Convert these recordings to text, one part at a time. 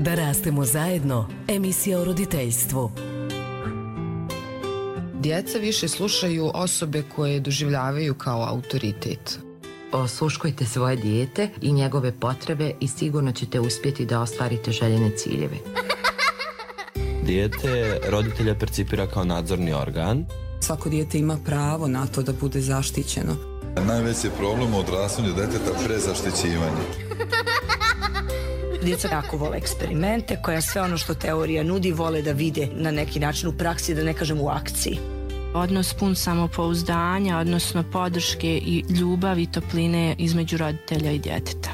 Da rastemo zajedno, emisija o roditeljstvu. Djeca više slušaju osobe koje doživljavaju kao autoritet. Osluškujte svoje dijete i njegove potrebe i sigurno ćete uspjeti da ostvarite željene ciljeve. Dijete roditelja percipira kao nadzorni organ. Svako dijete ima pravo na to da bude zaštićeno. Najveći je problem u odrastanju djeteta prezaštićivanje. Djeca jako vole eksperimente, koja sve ono što teorija nudi vole da vide na neki način u praksi, da ne kažem u akciji. Odnos pun samopouzdanja, odnosno podrške i ljubavi i topline između roditelja i djeteta.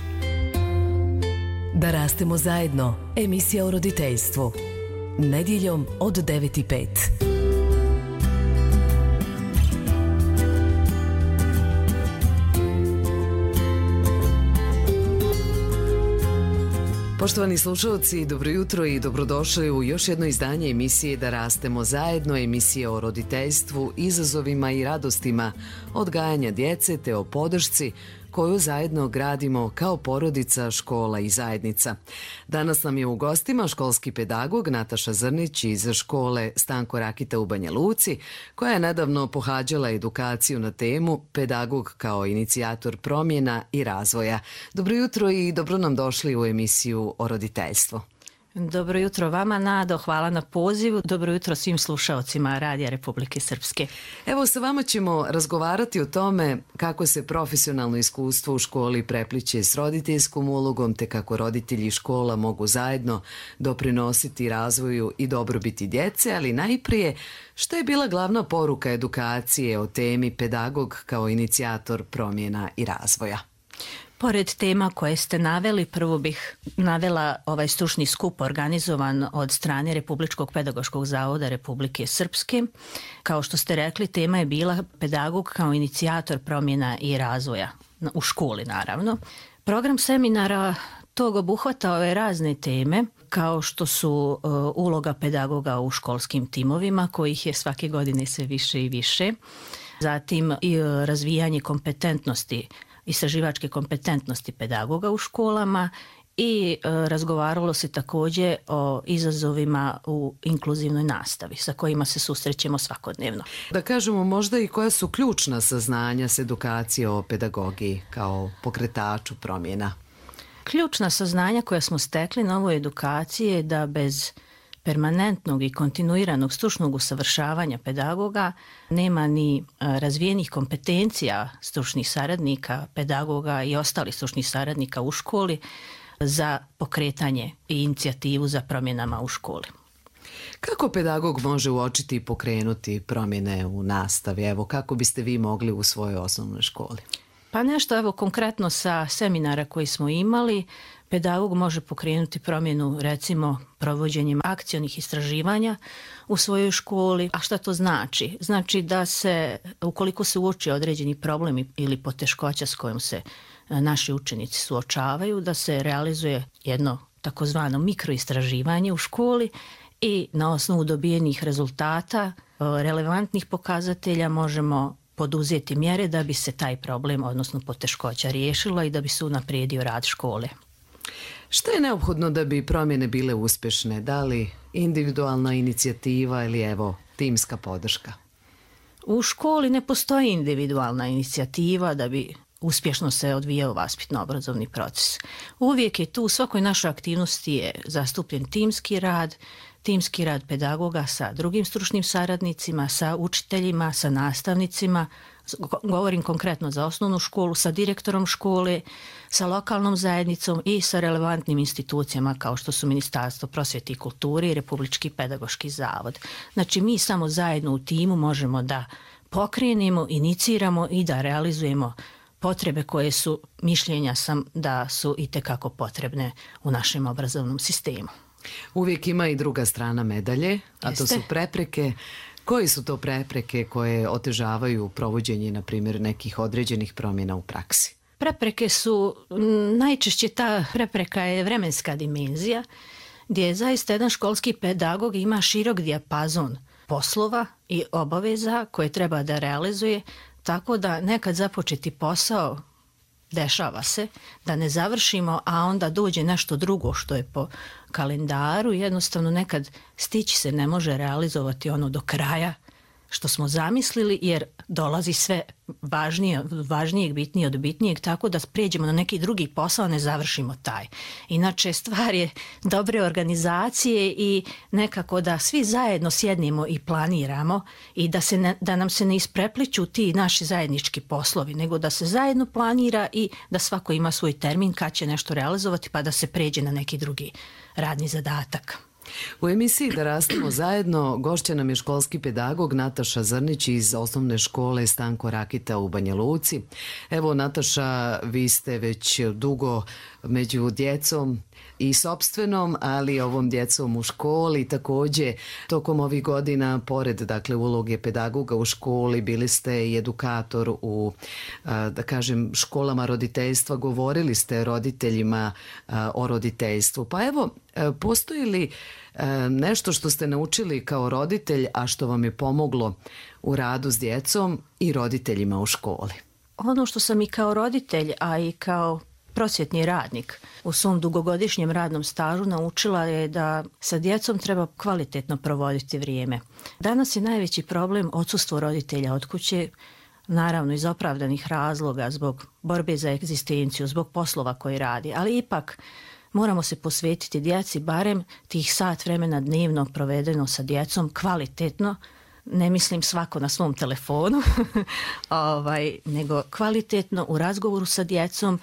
Da rastemo zajedno, emisija o roditeljstvu. Nedjeljom od 9:05. Poštovani slušalci, dobro jutro i dobrodošli u još jedno izdanje emisije Da rastemo zajedno, emisije o roditeljstvu, izazovima i radostima odgajanja djece te o podršci koju zajedno gradimo kao porodica, škola i zajednica. Danas nam je u gostima školski pedagog Nataša Zrnić iz škole Stanko Rakita u Banja Luci, koja je nedavno pohađala edukaciju na temu Pedagog kao inicijator promjena i razvoja. Dobro jutro i dobro nam došli u emisiju o roditeljstvu. Dobro jutro vama, Nado, hvala na pozivu. Dobro jutro svim slušaocima Radija Republike Srpske. Evo, sa vama ćemo razgovarati o tome kako se profesionalno iskustvo u školi prepliće s roditeljskom ulogom, te kako roditelji i škola mogu zajedno doprinositi razvoju i dobrobiti djece, ali najprije, što je bila glavna poruka edukacije o temi Pedagog kao inicijator promjena i razvoja? Pored tema koje ste naveli, prvo bih navela ovaj stručni skup organizovan od strane Republičkog pedagoškog zavoda Republike Srpske. Kao što ste rekli, tema je bila Pedagog kao inicijator promjena i razvoja u školi, naravno. Program seminara tog obuhvatao je razne teme, kao što su uloga pedagoga u školskim timovima, kojih je svake godine sve više i više. Zatim i razvijanje kompetentnosti, istraživačke kompetentnosti pedagoga u školama i razgovaralo se također o izazovima u inkluzivnoj nastavi sa kojima se susrećemo svakodnevno. Da kažemo možda i koja su ključna saznanja s edukacije o pedagogiji kao pokretaču promjena? Ključna saznanja koja smo stekli na ovoj edukaciji je da bez permanentnog i kontinuiranog stručnog usavršavanja pedagoga nema ni razvijenih kompetencija stručnih saradnika, pedagoga i ostalih stručnih saradnika u školi za pokretanje i inicijativu za promjenama u školi. Kako pedagog može uočiti i pokrenuti promjene u nastavi? Evo, kako biste vi mogli u svojoj osnovnoj školi? Pa nešto, evo, konkretno sa seminara koji smo imali, pedagog može pokrenuti promjenu, recimo, provođenjem akcionih istraživanja u svojoj školi. A šta to znači? Znači da se, ukoliko se uoči određeni problem ili poteškoća s kojom se naši učenici suočavaju, da se realizuje jedno takozvano mikroistraživanje u školi i na osnovu dobijenih rezultata, relevantnih pokazatelja možemo poduzeti mjere da bi se taj problem, odnosno poteškoća, riješila i da bi se unaprijedio rad škole. Što je neophodno da bi promjene bile uspješne? Da li individualna inicijativa ili evo timska podrška? U školi ne postoji individualna inicijativa da bi uspješno se odvijao vaspitno-obrazovni proces. Uvijek je tu, u svakoj našoj aktivnosti je zastupljen timski rad pedagoga sa drugim stručnim saradnicima, sa učiteljima, sa nastavnicima, govorim konkretno za osnovnu školu, sa direktorom škole, sa lokalnom zajednicom i sa relevantnim institucijama kao što su Ministarstvo prosvjete i kulture i Republički pedagoški zavod. Znači, mi samo zajedno u timu možemo da pokrenemo, iniciramo i da realizujemo potrebe koje su, mišljenja sam da su itekako potrebne u našem obrazovnom sistemu. Uvijek ima i druga strana medalje, a to su prepreke. Koji su to prepreke koje otežavaju provođenje, na primjer, nekih određenih promjena u praksi? Prepreke su, najčešće ta prepreka je vremenska dimenzija, gdje zaista jedan školski pedagog ima širok dijapazon poslova i obaveza koje treba da realizuje, tako da nekad započeti posao dešava se da ne završimo, a onda dođe nešto drugo što je po kalendaru, jednostavno nekad stići se ne može realizovati ono do kraja što smo zamislili, jer dolazi sve važnijeg, bitnije od bitnijeg, tako da pređemo na neki drugi posao, a ne završimo taj. Inače, stvar je dobre organizacije i nekako da svi zajedno sjednemo i planiramo i da nam se ne isprepliću ti naši zajednički poslovi, nego da se zajedno planira i da svako ima svoj termin kad će nešto realizovati, pa da se pređe na neki drugi radni zadatak. U emisiji Da rastemo zajedno gošća nam je školski pedagog Nataša Zrnić iz osnovne škole Stanko Rakita u Banja Luci. Evo, Nataša, vi ste već dugo među djecom i sopstvenom, ali ovom djecom u školi. Također, tokom ovih godina, pored dakle uloge pedagoga u školi, bili ste i edukator u, da kažem, školama roditeljstva. Govorili ste roditeljima o roditeljstvu. Pa evo, postoji li nešto što ste naučili kao roditelj, a što vam je pomoglo u radu s djecom i roditeljima u školi? Ono što sam i kao roditelj, a i kao prosvjetni radnik u svom dugogodišnjem radnom stažu naučila je da sa djecom treba kvalitetno provoditi vrijeme. Danas je najveći problem odsustvo roditelja od kuće, naravno iz opravdanih razloga, zbog borbe za egzistenciju, zbog poslova koji radi, ali ipak moramo se posvetiti djeci, barem tih sat vremena dnevno provedeno sa djecom kvalitetno. Ne mislim svako na svom telefonu, nego kvalitetno u razgovoru sa djecom.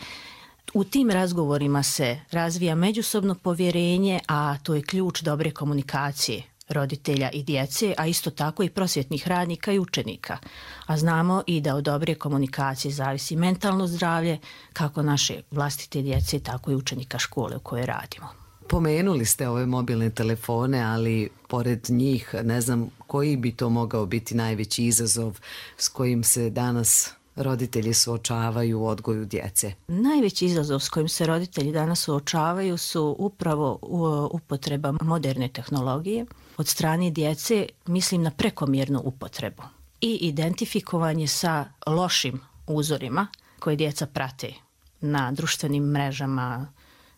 U tim razgovorima se razvija međusobno povjerenje, a to je ključ dobre komunikacije roditelja i djece, a isto tako i prosvjetnih radnika i učenika. A znamo i da od dobre komunikacije zavisi mentalno zdravlje kako naše vlastite djece, tako i učenika škole u kojoj radimo. Pomenuli ste ove mobilne telefone, ali pored njih ne znam koji bi to mogao biti najveći izazov s kojim se danas roditelji suočavaju u odgoju djece. Najveći izazov s kojim se roditelji danas suočavaju su upravo upotreba moderne tehnologije. Od strane djece mislim na prekomjernu upotrebu i identifikovanje sa lošim uzorima koje djeca prate na društvenim mrežama,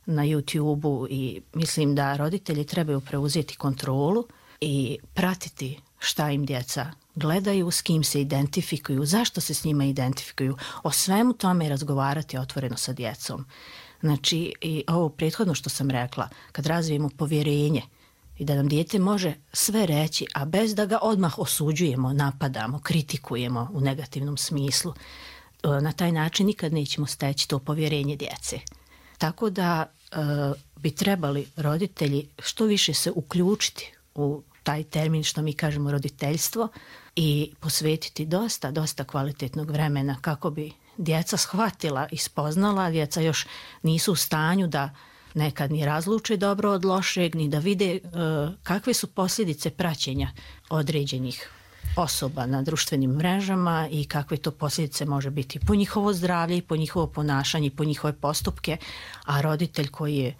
na YouTube-u, i mislim da roditelji trebaju preuzeti kontrolu i pratiti šta im djeca gledaju, s kim se identifikuju, zašto se s njima identifikuju, o svemu tome razgovarati otvoreno sa djecom. Znači, i ovo prethodno što sam rekla, kad razvijemo povjerenje i da nam dijete može sve reći, a bez da ga odmah osuđujemo, napadamo, kritikujemo u negativnom smislu, na taj način nikad nećemo steći to povjerenje djece. Tako da bi trebali roditelji što više se uključiti u taj termin što mi kažemo roditeljstvo i posvetiti dosta kvalitetnog vremena kako bi djeca shvatila i spoznala. Djeca još nisu u stanju da nekad ni razluče dobro od lošeg, ni da vide kakve su posljedice praćenja određenih osoba na društvenim mrežama i kakve to posljedice može biti po njihovo zdravlje i po njihovo ponašanje i po njihove postupke, a roditelj koji je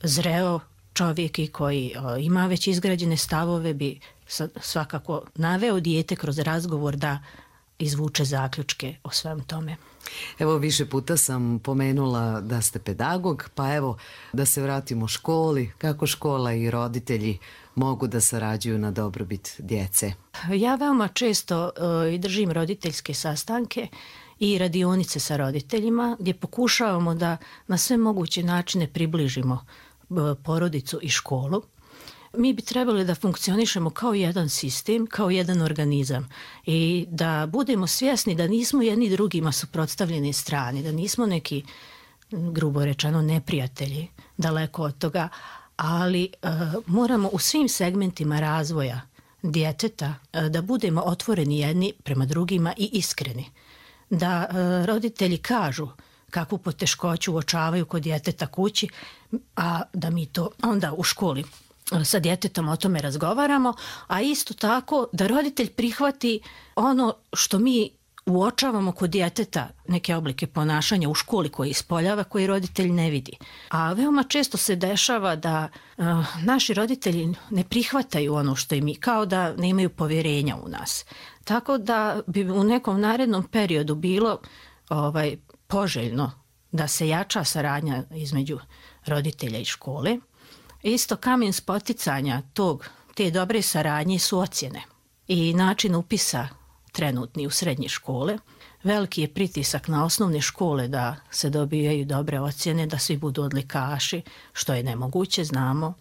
zreo čovjek i koji ima već izgrađene stavove bi svakako naveo dijete kroz razgovor da izvuče zaključke o svem tome. Evo, više puta sam pomenula da ste pedagog, pa evo da se vratimo školi. Kako škola i roditelji mogu da sarađuju na dobrobit djece? Ja veoma često i držim roditeljske sastanke i radionice sa roditeljima gdje pokušavamo da na sve moguće načine približimo porodicu i školu. Mi bi trebali da funkcionišemo kao jedan sistem, kao jedan organizam i da budemo svjesni da nismo jedni drugima suprotstavljene strane, da nismo neki, grubo rečeno, neprijatelji, daleko od toga, ali moramo u svim segmentima razvoja djeteta da budemo otvoreni jedni prema drugima i iskreni. Da roditelji kažu kakvu poteškoću uočavaju kod djeteta kući, a da mi to onda u školi sa djetetom o tome razgovaramo, a isto tako da roditelj prihvati ono što mi uočavamo kod djeteta, neke oblike ponašanja u školi koje ispoljava, koji roditelj ne vidi. A veoma često se dešava da naši roditelji ne prihvataju ono što i mi, kao da nemaju povjerenja u nas. Tako da bi u nekom narednom periodu bilo poželjno da se jača saradnja između roditelja i škole. Isto kamen spoticanja te dobre saradnje su ocjene i način upisa trenutni u srednje škole. Veliki je pritisak na osnovne škole da se dobijaju dobre ocjene, da svi budu odlikaši, što je nemoguće, znamo.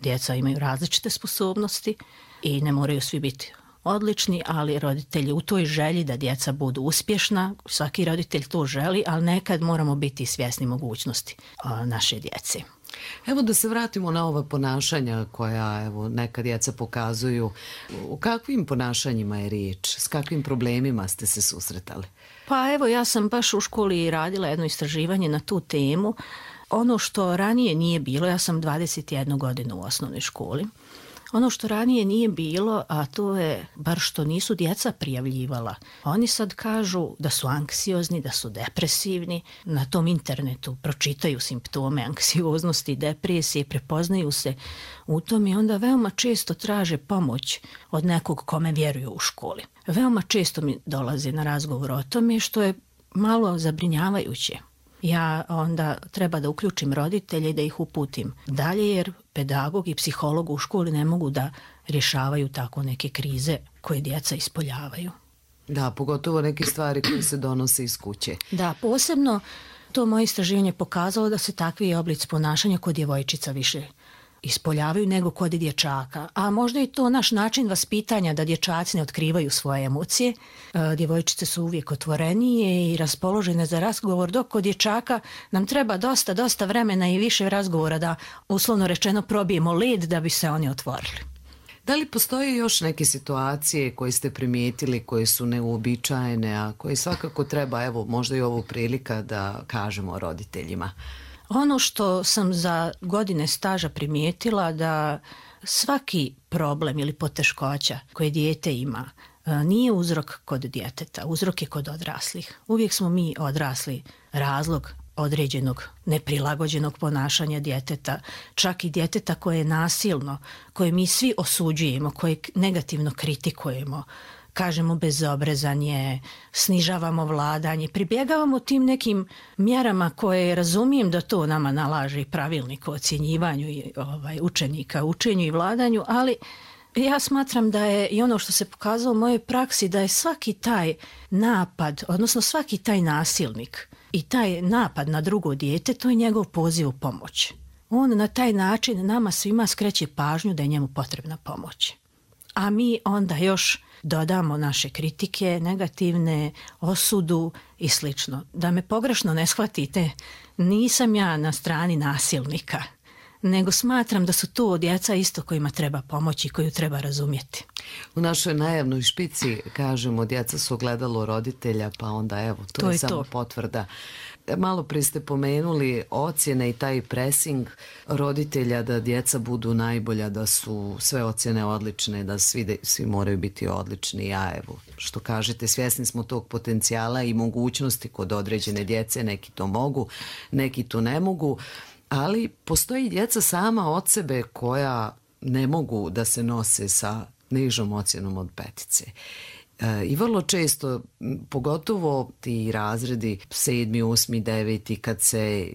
Djeca imaju različite sposobnosti i ne moraju svi biti odlični, ali roditelji u toj želji da djeca budu uspješna, svaki roditelj to želi, ali nekad moramo biti svjesni mogućnosti naše djece. Evo da se vratimo na ova ponašanja koja neka djeca pokazuju. U kakvim ponašanjima je riječ? S kakvim problemima ste se susretali? Pa evo, ja sam baš u školi radila jedno istraživanje na tu temu. Ono što ranije nije bilo, ja sam 21 godinu u osnovnoj školi, ono što ranije nije bilo, a to je bar što nisu djeca prijavljivala. Oni sad kažu da su anksiozni, da su depresivni. Na tom internetu pročitaju simptome anksioznosti i depresije, prepoznaju se u tom i onda veoma često traže pomoć od nekog kome vjeruju u školi. Veoma često mi dolaze na razgovor o tome, što je malo zabrinjavajuće. Ja onda treba da uključim roditelje i da ih uputim dalje, jer pedagog i psiholog u školi ne mogu da rješavaju tako neke krize koje djeca ispoljavaju. Da, pogotovo neke stvari koje se donose iz kuće. Da, posebno to moje istraživanje pokazalo da se takvi oblici ponašanja kod djevojčica više ispoljavaju nego kod dječaka. A možda je to naš način vaspitanja da dječaci ne otkrivaju svoje emocije. Djevojčice su uvijek otvorenije i raspoložene za razgovor, dok kod dječaka nam treba dosta vremena i više razgovora da, uslovno rečeno, probijemo led da bi se oni otvorili. Da li postoje još neke situacije koje ste primijetili, koje su neuobičajene, a koje svakako treba, evo, možda i ovo prilika da kažemo roditeljima? Ono što sam za godine staža primijetila, da svaki problem ili poteškoća koje dijete ima nije uzrok kod djeteta, uzrok je kod odraslih. Uvijek smo mi odrasli razlog određenog neprilagođenog ponašanja djeteta, čak i djeteta koje je nasilno, koje mi svi osuđujemo, koje negativno kritikujemo. Kažemo bezobrazanje, snižavamo vladanje, pribjegavamo tim nekim mjerama koje razumijem da to nama nalaže i pravilnik o ocjenjivanju učenika, učenju i vladanju, ali ja smatram da je i ono što se pokazalo u mojoj praksi, da je svaki taj napad, odnosno svaki taj nasilnik i taj napad na drugo dijete, to je njegov poziv u pomoć. On na taj način nama svima skreće pažnju da je njemu potrebna pomoć. A mi onda još dodamo naše kritike, negativne, osudu i slično. Da me pogrešno ne shvatite, nisam ja na strani nasilnika, nego smatram da su to djeca isto kojima treba pomoći i koju treba razumjeti. U našoj najavnoj špici kažemo djeca su ogledalo roditelja, pa onda evo, to je samo potvrda. Malo prije ste pomenuli ocjene i taj pressing roditelja da djeca budu najbolja, da su sve ocjene odlične, da svi moraju biti odlični. Ja evo, što kažete, svjesni smo tog potencijala i mogućnosti kod određene djece, neki to mogu, neki to ne mogu, ali postoji djeca sama od sebe koja ne mogu da se nose sa nižom ocjenom od 5. I vrlo često, pogotovo ti razredi 7., 8., 9. kad se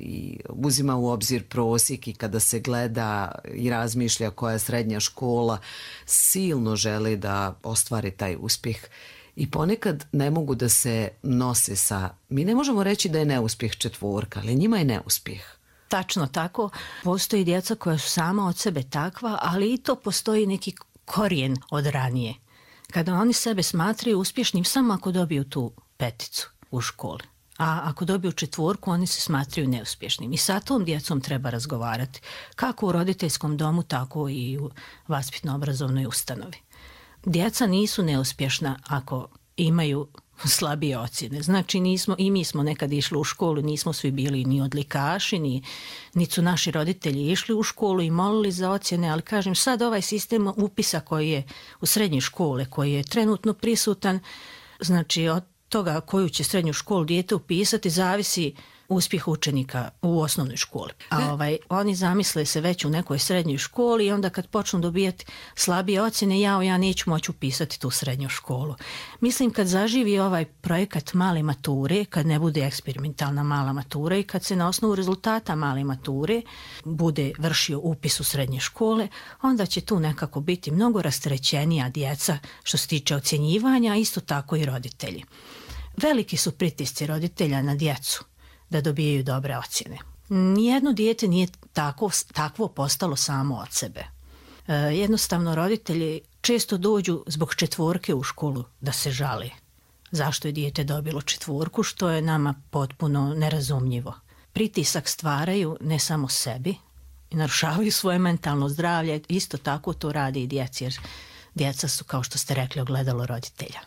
uzima u obzir prosjek i kada se gleda i razmišlja koja je srednja škola, silno žele da ostvari taj uspjeh. I ponekad ne mogu da se nose sa, mi ne možemo reći da je neuspjeh 4, ali njima je neuspjeh. Tačno tako. Postoji djeca koja su sama od sebe takva, ali i to postoji neki korijen od ranije. Kada oni sebe smatraju uspješnim samo ako dobiju tu 5 u školi. A ako dobiju 4, oni se smatraju neuspješnim. I sa tom djecom treba razgovarati. Kako u roditeljskom domu, tako i u vaspitno-obrazovnoj ustanovi. Djeca nisu neuspješna ako imaju slabije ocjene. Znači i mi smo nekad išli u školu, nismo svi bili ni odlikaši, ni su naši roditelji išli u školu i molili za ocjene, ali kažem sad ovaj sistem upisa koji je u srednje škole, koji je trenutno prisutan, znači od toga koju će srednju školu dijete upisati zavisi uspjeh učenika u osnovnoj školi. A oni zamisle se već u nekoj srednjoj školi i onda kad počnu dobijati slabije ocjene, ja neću moći upisati tu srednju školu. Mislim kad zaživi ovaj projekat male mature, kad ne bude eksperimentalna mala matura i kad se na osnovu rezultata male mature bude vršio upis u srednje škole, onda će tu nekako biti mnogo rasterećenija djeca što se tiče ocjenjivanja, a isto tako i roditelji. Veliki su pritisci roditelja na djecu da dobijaju dobre ocjene. Nijedno dijete nije takvo postalo samo od sebe. Jednostavno roditelji često dođu zbog 4 u školu da se žale. Zašto je dijete dobilo 4, što je nama potpuno nerazumljivo. Pritisak stvaraju ne samo sebi i narušavaju svoje mentalno zdravlje, isto tako to radi i djeci, jer djeca su, kao što ste rekli, ogledalo roditelja.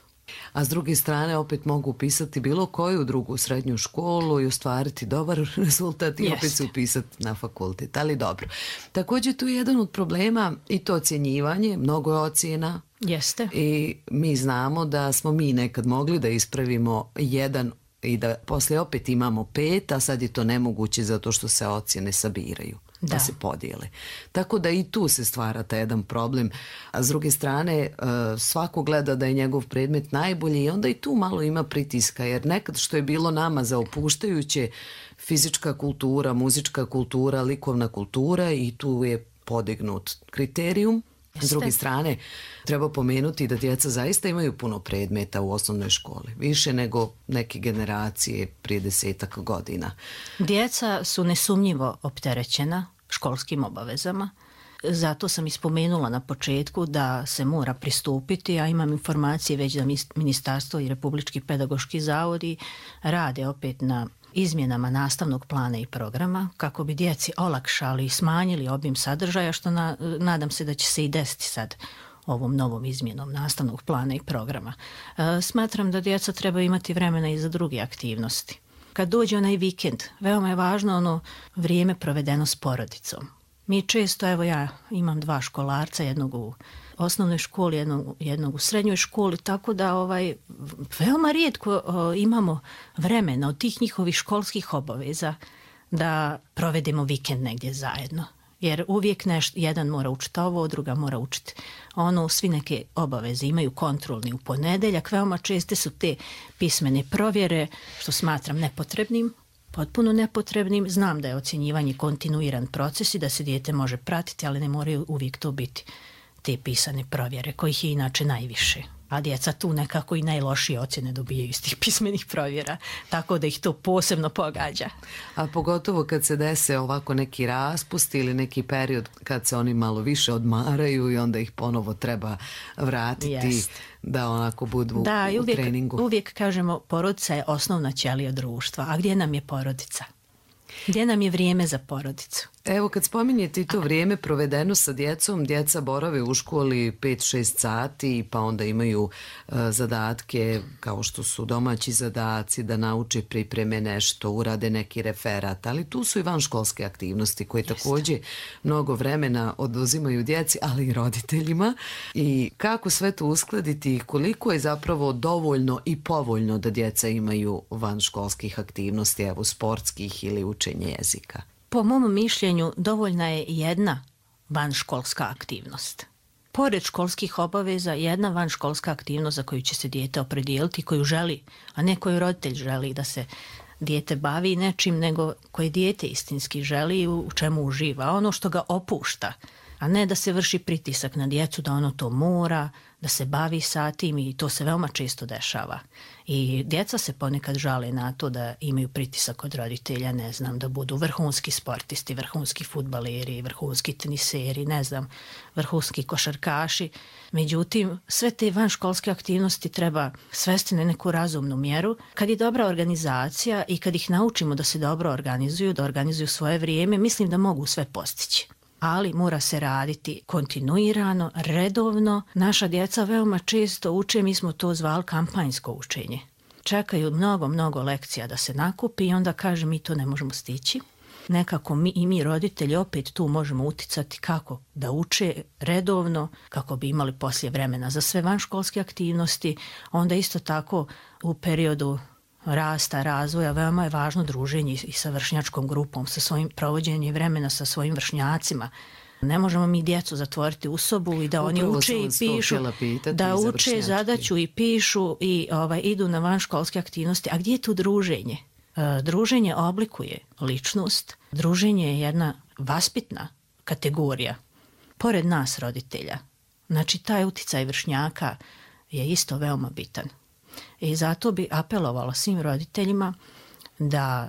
A s druge strane opet mogu upisati bilo koju drugu srednju školu i ostvariti dobar rezultat i opet se upisati na fakultet, ali dobro. Također tu je jedan od problema i to ocjenjivanje, mnogo je ocjena. Jeste. I mi znamo da smo mi nekad mogli da ispravimo 1 i da poslije opet imamo 5, a sad je to nemoguće zato što se ocjene sabiraju. Da se podijele. Tako da i tu se stvara taj jedan problem. A s druge strane, svako gleda da je njegov predmet najbolji i onda i tu malo ima pritiska, jer nekad što je bilo nama za opuštajuće, fizička kultura, muzička kultura, likovna kultura, i tu je podignut kriterijum. S druge strane, treba pomenuti da djeca zaista imaju puno predmeta u osnovnoj školi. Više nego neke generacije prije 10-ak godina. Djeca su nesumnjivo opterećena školskim obavezama. Zato sam ispomenula na početku da se mora pristupiti, a imam informacije već da Ministarstvo i Republički pedagoški zavodi rade opet na izmjenama nastavnog plana i programa kako bi djeci olakšali i smanjili obim sadržaja, što nadam se da će se i desiti sad ovom novom izmjenom nastavnog plana i programa. Smatram da djeca treba imati vremena i za druge aktivnosti. Kad dođe onaj vikend, veoma je važno ono vrijeme provedeno s porodicom. Mi često, evo ja imam 2 školarca, jednog u osnovnoj školi, jednog u srednjoj školi, tako da veoma rijetko imamo vremena od tih njihovih školskih obaveza da provedemo vikend negdje zajedno. Jer uvijek jedan mora učiti ovo, druga mora učiti ono, svi neke obaveze imaju kontrolni u ponedjeljak, veoma česte su te pismene provjere, što smatram nepotrebnim, potpuno nepotrebnim. Znam da je ocjenjivanje kontinuiran proces i da se dijete može pratiti, ali ne moraju uvijek to biti te pisane provjere, kojih je inače najviše. A djeca tu nekako i najlošije ocjene dobijaju iz tih pismenih provjera, tako da ih to posebno pogađa. A pogotovo kad se dese ovako neki raspust ili neki period kad se oni malo više odmaraju i onda ih ponovo treba vratiti da onako budu u treningu. Uvijek kažemo porodica je osnovna ćelija društva, a gdje nam je porodica? Gdje nam je vrijeme za porodicu? Evo, kad spominjete i to vrijeme provedeno sa djecom, djeca borave u školi 5-6 sati, pa onda imaju zadatke kao što su domaći zadaci, da nauče, pripreme nešto, urade neki referat, ali tu su i vanškolske aktivnosti koje također mnogo vremena oduzimaju djeci, ali i roditeljima. I kako sve to uskladiti i koliko je zapravo dovoljno i povoljno da djeca imaju vanškolskih aktivnosti, evo sportskih ili učenje jezika? Po mom mišljenju dovoljna je jedna vanškolska aktivnost. Pored školskih obaveza, jedna vanškolska aktivnost za koju će se dijete opredijeliti, koju želi, a ne koju roditelj želi da se dijete bavi nečim, nego koje dijete istinski želi i u čemu uživa. Ono što ga opušta, a ne da se vrši pritisak na djecu da ono to mora, da se bavi sa tim, i to se veoma često dešava. I djeca se ponekad žale na to da imaju pritisak od roditelja, ne znam, da budu vrhunski sportisti, vrhunski fudbaleri, vrhunski teniseri, ne znam, vrhunski košarkaši. Međutim, sve te vanškolske aktivnosti treba svesti na neku razumnu mjeru. Kad je dobra organizacija i kad ih naučimo da se dobro organizuju, da organizuju svoje vrijeme, mislim da mogu sve postići. Ali mora se raditi kontinuirano, redovno. Naša djeca veoma često uče, mi smo to zvali kampanjsko učenje. Čekaju mnogo lekcija da se nakupi i onda kaže mi to ne možemo stići. Nekako mi roditelji opet tu možemo uticati kako da uče redovno, kako bi imali poslije vremena za sve vanškolske aktivnosti. Onda isto tako u periodu rasta, razvoja, veoma je važno druženje i sa vršnjačkom grupom, sa svojim provođenjem vremena sa svojim vršnjacima. Ne možemo mi djecu zatvoriti u sobu i da oni uče i pišu, da uče zadaću i pišu i idu na vanškolske aktivnosti. A gdje je tu druženje? Druženje oblikuje ličnost, druženje je jedna vaspitna kategorija, pored nas roditelja. Znači, taj uticaj vršnjaka je isto veoma bitan. I zato bi apelovala svim roditeljima da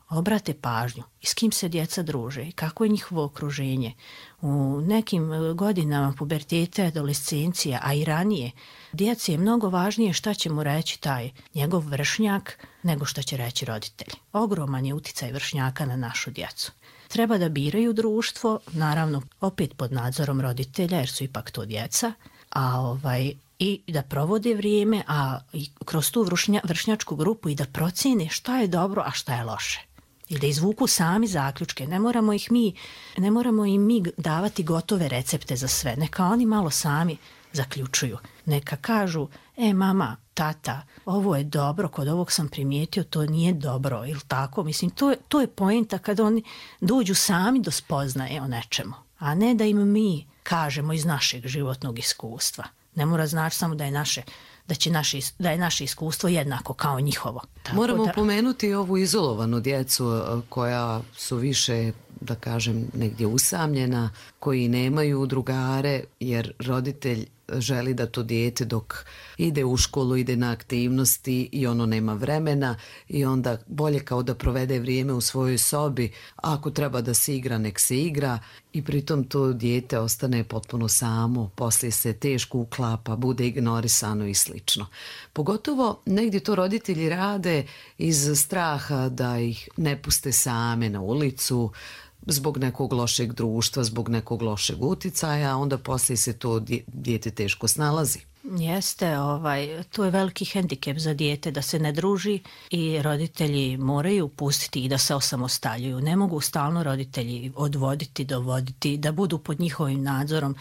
obrate pažnju i s kim se djeca druže i kako je njihovo okruženje. U nekim godinama puberteta, adolescencija, a i ranije, djeci je mnogo važnije šta će mu reći taj njegov vršnjak nego što će reći roditelji. Ogroman je uticaj vršnjaka na našu djecu. Treba da biraju društvo, naravno opet pod nadzorom roditelja jer su ipak to djeca, i da provode vrijeme, a i kroz tu vršnjačku grupu i da procene šta je dobro, a šta je loše. I da izvuku sami zaključke. Ne moramo im mi davati gotove recepte za sve. Neka oni malo sami zaključuju. Neka kažu, mama, tata, ovo je dobro, kod ovog sam primijetio, to nije dobro, ili tako. Mislim, to je poenta kada oni dođu sami do spoznaje o nečemu, a ne da im mi kažemo iz našeg životnog iskustva. Ne mora znači samo da je naše iskustvo jednako kao njihovo. Moramo pomenuti ovu izolovanu djecu koja su više, da kažem, negdje usamljena, koji nemaju drugare jer roditelj želi da to dijete dok ide u školu, ide na aktivnosti i ono nema vremena i onda bolje kao da provede vrijeme u svojoj sobi. Ako treba da se igra, nek se igra i pritom to dijete ostane potpuno samo, poslije se teško uklapa, bude ignorisano i slično. Pogotovo negdje to roditelji rade iz straha da ih ne puste same na ulicu, zbog nekog lošeg društva, zbog nekog lošeg uticaja, onda poslije se to dijete teško snalazi. Jeste, to je veliki hendikep za dijete da se ne druži i roditelji moraju pustiti i da se osamostaljuju. Ne mogu stalno roditelji odvoditi, dovoditi, da budu pod njihovim nadzorom.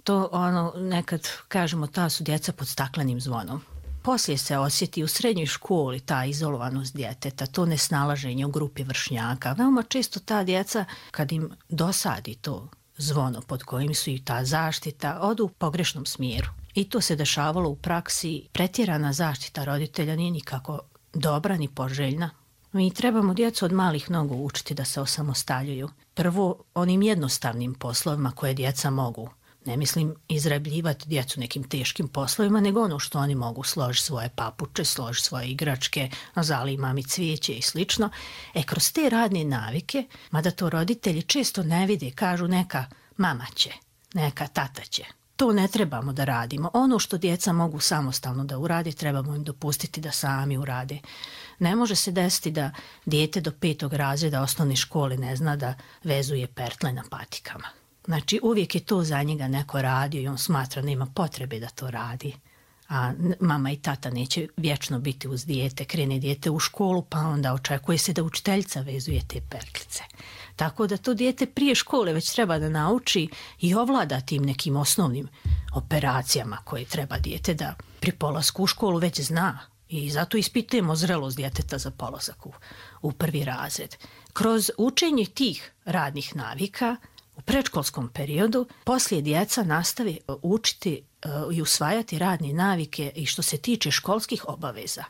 To nekad kažemo, ta su djeca pod staklenim zvonom. Poslije se osjeti u srednjoj školi ta izolovanost djeteta, to nesnalaženje u grupi vršnjaka. Veoma često ta djeca, kad im dosadi to zvono pod kojim su i ta zaštita, odu u pogrešnom smjeru. I to se dešavalo u praksi. Pretjerana zaštita roditelja nije nikako dobra ni poželjna. Mi trebamo djecu od malih nogu učiti da se osamostaljuju. Prvo, onim jednostavnim poslovima koje djeca mogu. Ne mislim izrabljivati djecu nekim teškim poslovima, nego ono što oni mogu, složi svoje papuče, složi svoje igračke, zali mami cvijeće i slično. Kroz te radne navike, mada to roditelji često ne vide, kažu neka mama će, neka tata će. To ne trebamo da radimo. Ono što djeca mogu samostalno da urade, trebamo im dopustiti da sami urade. Ne može se desiti da dijete do 5. razreda osnovne škole ne zna da vezuje pertle na patikama. Znači, uvijek je to za njega neko radio i on smatra nema potrebe da to radi. A mama i tata neće vječno biti uz dijete, krene dijete u školu, pa onda očekuje se da učiteljica vezuje te pertlice. Tako da to dijete prije škole već treba da nauči i ovlada tim nekim osnovnim operacijama koje treba dijete da pri polasku u školu već zna. I zato ispitujemo zrelost djeteta za polazak u 1. razred. Kroz učenje tih radnih navika u predškolskom periodu poslije djeca nastavi učiti i usvajati radne navike i što se tiče školskih obaveza.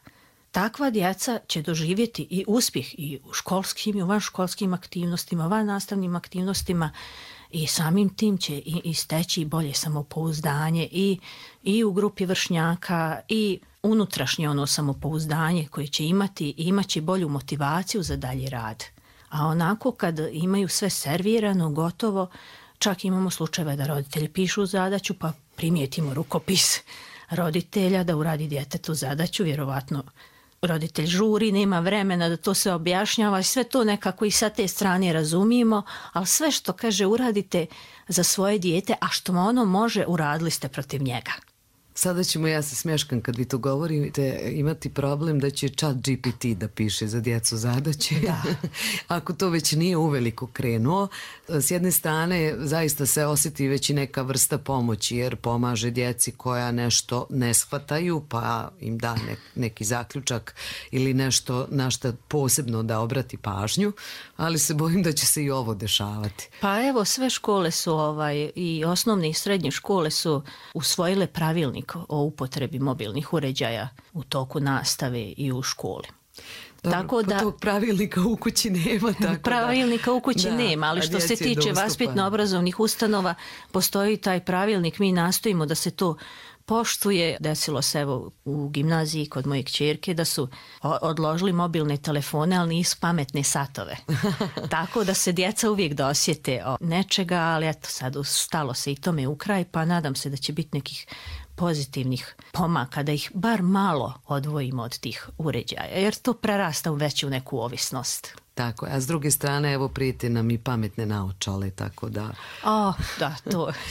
Takva djeca će doživjeti i uspjeh i u školskim i u vanškolskim aktivnostima, vannastavnim aktivnostima i samim tim će i steći bolje samopouzdanje i u grupi vršnjaka i unutrašnje samopouzdanje koje će imati i imaće bolju motivaciju za dalji rad. A onako kad imaju sve servirano, gotovo, čak imamo slučajeve da roditelji pišu zadaću pa primijetimo rukopis roditelja da uradi djetetu zadaću, vjerovatno roditelj žuri, nema vremena da to se objašnjava i sve to nekako i sa te strane razumijemo, ali sve što kaže uradite za svoje dijete, a što ono može, uradili ste protiv njega. Sada ćemo, ja se smješkam kad vi to govorite, imati problem da će chat GPT da piše za djecu zadaće. Da. Ako to već nije uveliko krenuo, s jedne strane zaista se osjeti već i neka vrsta pomoći, jer pomaže djeci koja nešto ne shvataju, pa im da neki zaključak ili nešto na što posebno da obrati pažnju, ali se bojim da će se i ovo dešavati. Pa evo, sve škole su i osnovne i srednje škole su usvojile pravilnik o upotrebi mobilnih uređaja u toku nastave i u školi. Dobro, tako da tog pravilnika u kući nema. Tako pravilnika u kući nema, ali što se tiče vaspitno-obrazovnih ustanova, postoji taj pravilnik, mi nastojimo da se to poštuje. Desilo se evo u gimnaziji kod moje kćerke da su odložili mobilne telefone, ali nisu pametne satove. Tako da se djeca uvijek dosjete nečega, ali eto sad stalo se i tome u kraj, pa nadam se da će biti nekih pozitivnih pomaka, da ih bar malo odvojimo od tih uređaja, jer to prerasta već u neku ovisnost. Tako, a s druge strane, evo, prijete nam i pametne naočale, tako da... Da,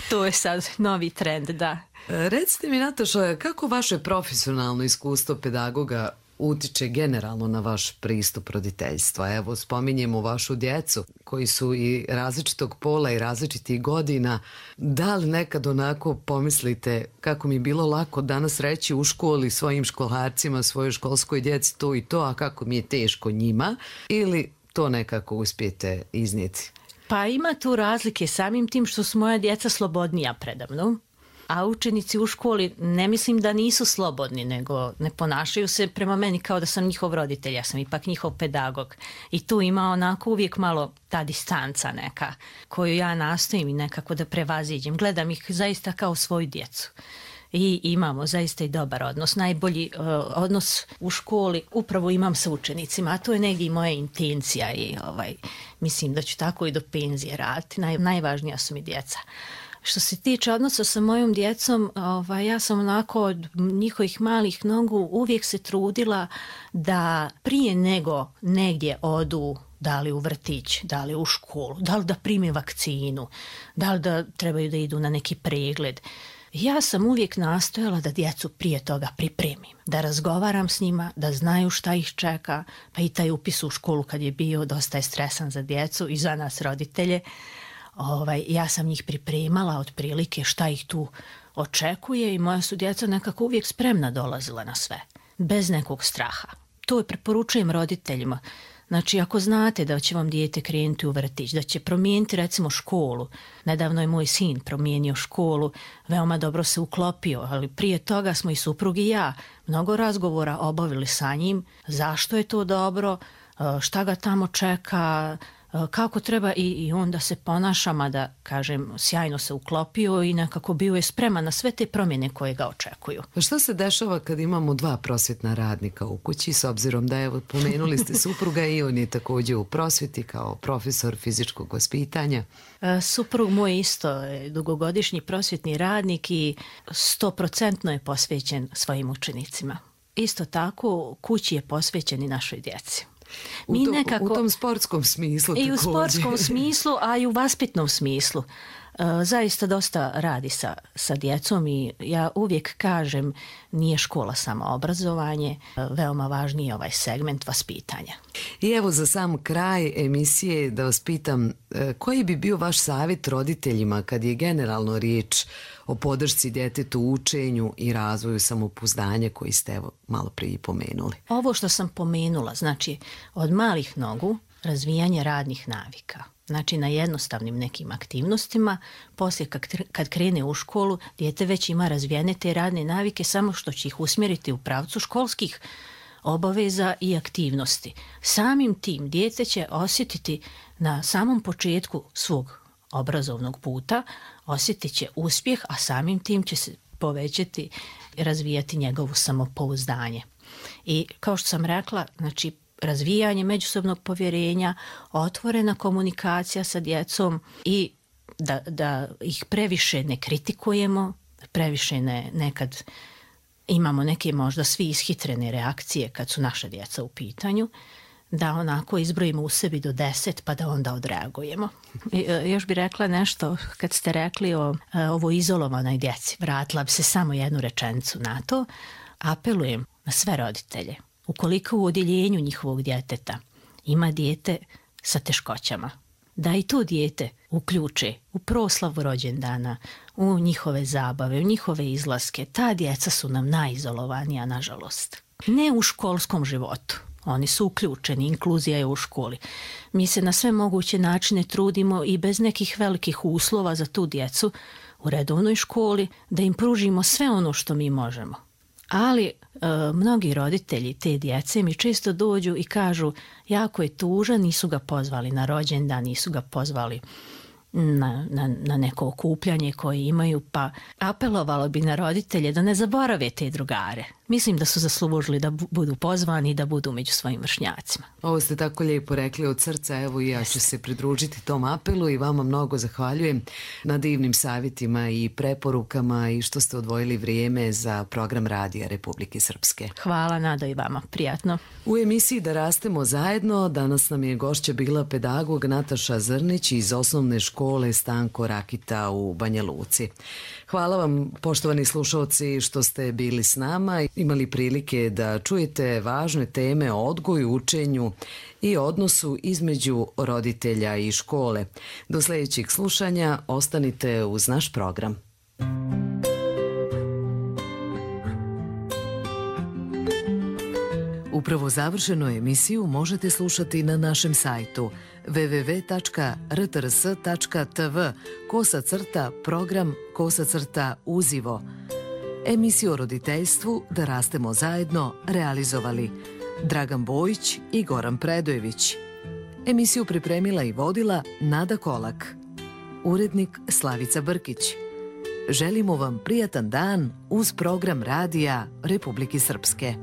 to je sad novi trend, da. Recite mi, Nataša, kako vaše profesionalno iskustvo pedagoga utiče generalno na vaš pristup roditeljstva? Evo, spominjemo vašu djecu koji su i različitog pola i različitih godina. Da li nekad onako pomislite kako mi je bilo lako danas reći u školi svojim školarcima, svojoj školskoj djeci to i to, a kako mi je teško njima, ili to nekako uspijete iznijeti? Pa ima tu razlike samim tim što su moja djeca slobodnija predamnom. A učenici u školi ne mislim da nisu slobodni, nego ne ponašaju se prema meni kao da sam njihov roditelj, ja sam ipak njihov pedagog. I tu ima onako uvijek malo ta distanca neka koju ja nastojim i nekako da prevaziđem. Gledam ih zaista kao svoju djecu. I imamo zaista i dobar odnos. Najbolji odnos u školi upravo imam sa učenicima, a to je negdje i moja intencija i mislim da ću tako i do penzije raditi. Najvažnija su mi djeca. Što se tiče odnosa sa mojom djecom, ja sam onako od njihovih malih nogu uvijek se trudila da prije nego negdje odu, da li u vrtić, da li u školu, da li da prime vakcinu, da li da trebaju da idu na neki pregled. Ja sam uvijek nastojala da djecu prije toga pripremim, da razgovaram s njima, da znaju šta ih čeka, pa i taj upis u školu kad je bio dosta je stresan za djecu i za nas roditelje. Ja sam njih pripremala otprilike šta ih tu očekuje i moja su djeca nekako uvijek spremna dolazila na sve, bez nekog straha. To preporučujem roditeljima. Znači, ako znate da će vam dijete krenuti u vrtić, da će promijeniti recimo školu, nedavno je moj sin promijenio školu, veoma dobro se uklopio, ali prije toga smo i suprug i ja mnogo razgovora obavili sa njim, zašto je to dobro, šta ga tamo čeka, kako treba i onda se ponaša, mada, kažem, sjajno se uklopio i nekako bio je spreman na sve te promjene koje ga očekuju. Pa što se dešava kad imamo dva prosvjetna radnika u kući, s obzirom da, evo, pomenuli ste supruga i on je također u prosvjeti kao profesor fizičkog vaspitanja? Suprug moj isto je dugogodišnji prosvjetni radnik i 100% je posvećen svojim učenicima. Isto tako, kući je posvećen i našoj djeci. U tom sportskom smislu također. I u sportskom smislu, a i u vaspitnom smislu. Zaista dosta radi sa djecom i ja uvijek kažem nije škola samo obrazovanje, veoma važniji je ovaj segment vaspitanja. I evo za sam kraj emisije da vas pitam koji bi bio vaš savjet roditeljima kad je generalno riječ o podršci djetetu u učenju i razvoju samopouzdanja koji ste evo malo prije pomenuli? Ovo što sam pomenula, znači od malih nogu razvijanje radnih navika. Znači na jednostavnim nekim aktivnostima, poslije kad krene u školu, dijete već ima razvijene te radne navike, samo što će ih usmjeriti u pravcu školskih obaveza i aktivnosti. Samim tim dijete će osjetiti na samom početku svog obrazovnog puta, osjetit će uspjeh, a samim tim će se povećati i razvijati njegovo samopouzdanje. I kao što sam rekla, znači razvijanje međusobnog povjerenja, otvorena komunikacija sa djecom i da ih previše ne kritikujemo, previše nekad imamo neke možda svi ishitrene reakcije kad su naša djeca u pitanju, da onako izbrojimo u sebi do 10 pa da onda odreagujemo. Još bi rekla nešto kad ste rekli o ovo izolovanoj djeci. Vratila bi se samo jednu rečenicu na to. Apelujem na sve roditelje. Ukoliko u odjeljenju njihovog djeteta ima dijete sa teškoćama, da i to dijete uključe u proslavu rođendana, u njihove zabave, u njihove izlaske. Ta djeca su nam najizolovanija, nažalost. Ne u školskom životu. Oni su uključeni, inkluzija je u školi. Mi se na sve moguće načine trudimo i bez nekih velikih uslova za tu djecu u redovnoj školi da im pružimo sve ono što mi možemo. Ali mnogi roditelji te djece mi često dođu i kažu jako je tužan, nisu ga pozvali na rođendan, nisu ga pozvali na neko okupljanje koje imaju, pa apelovalo bi na roditelje da ne zaborave te drugare. Mislim da su zaslužili da budu pozvani i da budu među svojim vršnjacima. Ovo ste tako lijepo rekli od srca, evo i ja ću se pridružiti tom apelu i vama mnogo zahvaljujem na divnim savjetima i preporukama i što ste odvojili vrijeme za program Radija Republike Srpske. Hvala, Nado, i vama. Prijatno. U emisiji Da rastemo zajedno danas nam je gošća bila pedagog Nataša Zrnić iz osnovne škole Stanko Rakita u Banja Luci. Hvala vam, poštovani slušalci, što ste bili s nama, imali prilike da čujete važne teme o odgoju, učenju i odnosu između roditelja i škole. Do sljedećeg slušanja ostanite uz naš program. Upravo završenu emisiju možete slušati na našem sajtu www.rtrs.tv/program/uzivo. Emisiju o roditeljstvu Da rastemo zajedno realizovali Dragan Bojić i Goran Predojević. Emisiju pripremila i vodila Nada Kolak. Urednik Slavica Brkić. Želimo vam prijatan dan uz program Radija Republike Srpske.